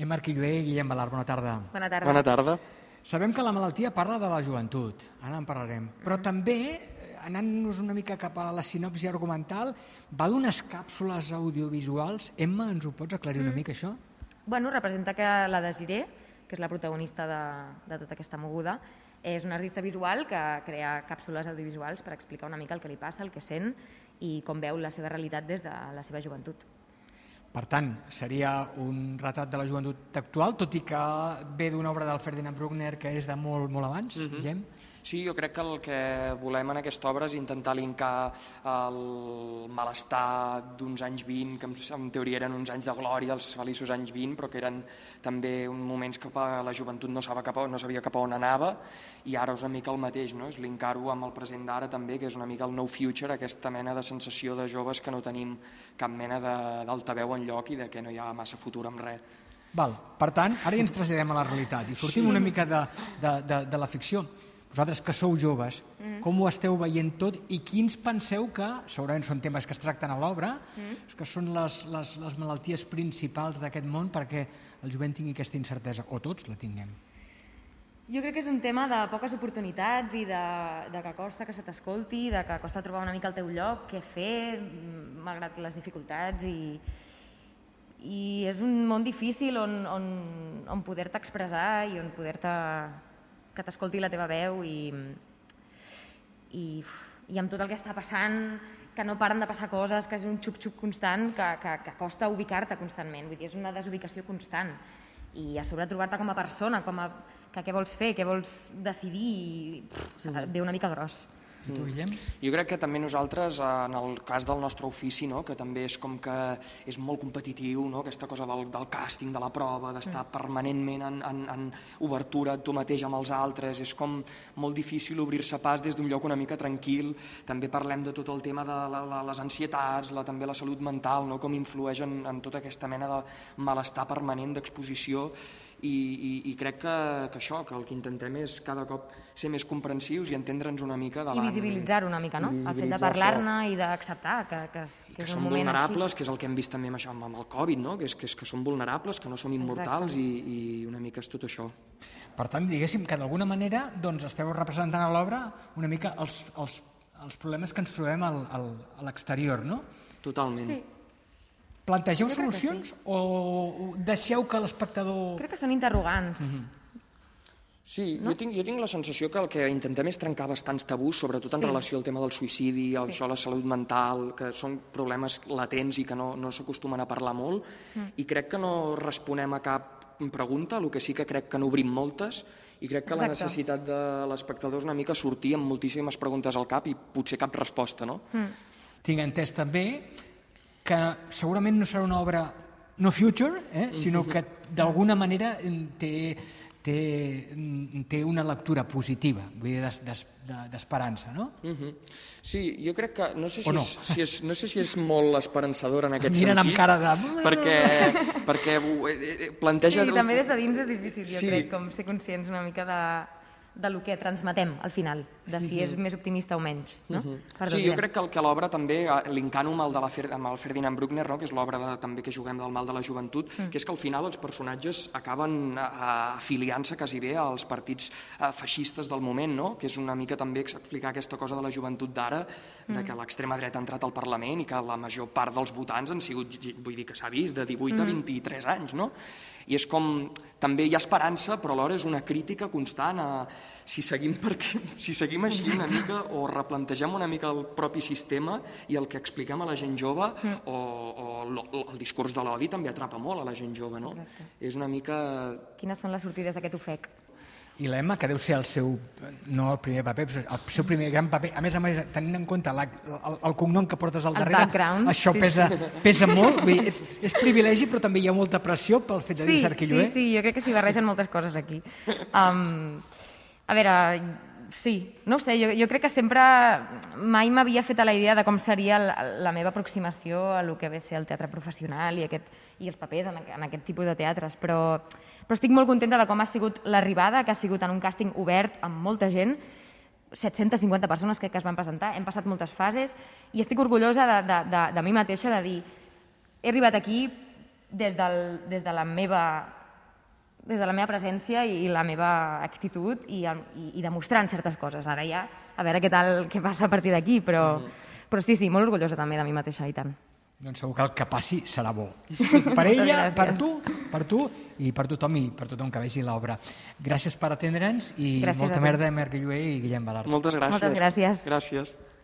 Marc Illué, Guillem Balart, bona tarda. Bona tarda. Bona tarda. Sabem que la malaltia parla de la joventut, ara en parlarem, però també, anant-nos una mica cap a la sinopsi argumental, va d'unes càpsules audiovisuals. Emma, ens ho pots aclarir una mica, això? Bueno, representa que la Desiree, que és la protagonista de tota aquesta moguda, és una artista visual que crea càpsules audiovisuals per explicar una mica el que li passa, el que sent i com veu la seva realitat des de la seva joventut. Per tant, seria un retrat de la joventut actual, tot i que ve d'una obra del Ferdinand Bruckner que és de molt abans, Guillem? Sí, jo crec que el que volem en aquesta obra és intentar linkar el malestar d'uns anys 20, que en teoria eren uns anys de glòria, els feliços anys 20, però que eren també uns moments que la joventut no sabia cap a on anava, i ara és una mica el mateix, no? És linkar-ho amb el present d'ara també, que és una mica el no future, aquesta mena de sensació de joves que no tenim cap mena d'altaveu enlloc i de que no hi ha massa futur amb res. Val. Per tant, ara ja ens traslladem a la realitat i sortim una mica de la ficció. Vosaltres que sou joves, com ho esteu veient tot i quins penseu que, segurament són temes que es tracten a l'obra, que són les malalties principals d'aquest món perquè el jovent tingui aquesta incertesa, o tots la tinguem? Jo crec que és un tema de poques oportunitats i de que costa que se t'escolti, de que costa trobar una mica el teu lloc, què fer, malgrat les dificultats, i és un món difícil on poder-te expressar i on que t'escolti la teva veu i amb tot el que està passant, que no paren de passar coses, que és un xup-xup constant, que costa ubicar-te constantment. Vull dir, és una desubicació constant. I a sobre trobar-te com a persona, que què vols fer, què vols decidir, ve una mica gros. I tu, Guillem? Jo crec que també nosaltres, en el cas del nostre ofici, no? Que també és com que és molt competitiu, no? Aquesta cosa del càsting, de la prova, d'estar permanentment en obertura tu mateix amb els altres, és com molt difícil obrir-se pas des d'un lloc una mica tranquil. També parlem de tot el tema de les ansietats, també la salut mental, no? Com influeix en tota aquesta mena de malestar permanent d'exposició, i crec que això, que el que intentem és cada cop ser més comprensius i entendre'ns una mica davant. I visibilitzar-ho una mica, no? El fet de parlar-ne i d'acceptar que és un moment vulnerables, que és el que hem vist també amb el Covid, no? Que som vulnerables, que no som immortals, i una mica és tot això. Per tant, diguéssim que d'alguna manera esteu representant a l'obra una mica els problemes que ens trobem a l'exterior, no? Totalment. Sí. Plantegeu solucions o deixeu que l'espectador... Crec que són interrogants. Sí, jo tinc la sensació que el que intentem és trencar bastants tabús, sobretot en relació al tema del suïcidi, això, la salut mental, que són problemes latents i que no s'acostumen a parlar molt, i crec que no responem a cap pregunta, el que sí que crec que n'obrim moltes, i crec que la necessitat de l'espectador és una mica sortir amb moltíssimes preguntes al cap i potser cap resposta, no? Tinc entès també que segurament no serà una obra no future, sinó que d'alguna manera té una lectura positiva, vull dir, d'esperança, no? Sí, jo crec que, no sé si és molt esperançador en aquest sentit. Miren amb cara de... Perquè planteja... Sí, també des de dins és difícil, jo crec, com ser conscients una mica de lo que transmetem al final, de si és més optimista o menys, no? Sí, jo crec que l'obra també, linkant-ho amb el Ferdinand Bruckner, que és l'obra també que juguem del mal de la joventut, que és que al final els personatges acaben afiliant-se quasi bé als partits feixistes del moment, no? Que és una mica també explicar aquesta cosa de la joventut d'ara, de que l'extrema dreta ha entrat al Parlament i que la major part dels votants han sigut, vull dir que s'ha vist, de 18 a 23 anys, no? I és com, també hi ha esperança, però alhora és una crítica constant a si seguim així una mica o replantegem una mica el propi sistema i el que expliquem a la gent jove, o el discurs de l'odi també atrapa molt a la gent jove, no? És una mica... Quines són les sortides d'aquest ofec? I l'Emma, que deu ser el seu, no el primer paper, però el seu primer gran paper, a més, tenint en compte el cognom que portes al darrere, això pesa molt, és privilegi, però també hi ha molta pressió pel fet de dir Marc Illué. Sí, jo crec que s'hi barregen moltes coses aquí. A veure, sí, no ho sé, jo crec que sempre mai m'havia fet a la idea de com seria la meva aproximació a lo que ve ser el teatre professional i els papers en aquest tipus de teatres, però estic molt contenta de com ha sigut l'arribada, que ha sigut en un càsting obert amb molta gent, 750 persones que es van presentar, hem passat moltes fases i estic orgullosa de mi mateixa de dir he arribat aquí des de la meva des de la meva presència i la meva actitud i demostrant certes coses. Ara ja, a veure què passa a partir d'aquí, però sí, molt orgullosa també de mi mateixa, i tant. Doncs segur que el que passi serà bo. Per ella, per tu i per tothom que vegi l'obra. Gràcies per atendre'ns i molta merda a Marc Llué i Guillem Balart. Moltes gràcies. Moltes gràcies. Gràcies.